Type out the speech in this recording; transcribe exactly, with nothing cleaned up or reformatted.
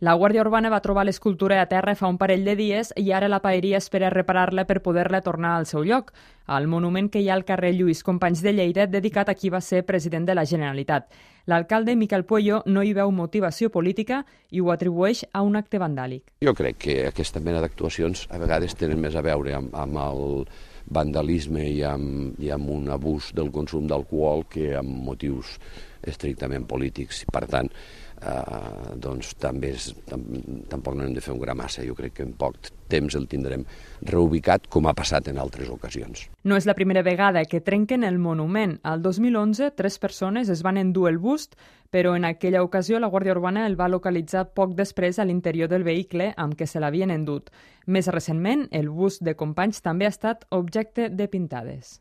La Guàrdia Urbana va trobar l'escultura a terra fa un parell de dies i ara la paeria espera reparar-la per poder-la tornar al seu lloc, al monument que hi ha al carrer Lluís Companys de Lleida, dedicat a qui va ser president de la Generalitat. L'alcalde Miquel Pueyo no hi veu motivació política i ho atribueix a un acte vandàlic. Jo crec que aquesta mena d'actuacions a vegades tenen més a veure amb, amb el vandalisme i amb, i amb un abús del consum d'alcohol que amb motius estrictament polítics. Per tant, eh, doncs també és, tam, tampoc no hem de fer un gra massa. Jo crec que en poc temps el tindrem reubicat, com ha passat en altres ocasions. No és la primera vegada que trenquen el monument. Al dos mil onze, tres persones es van endur el bust, però en aquella ocasió la Guàrdia Urbana el va localitzar poc després a l'interior del vehicle amb què se l'havien endut. Més recentment, el bust de Companys també ha estat objecte de pintades.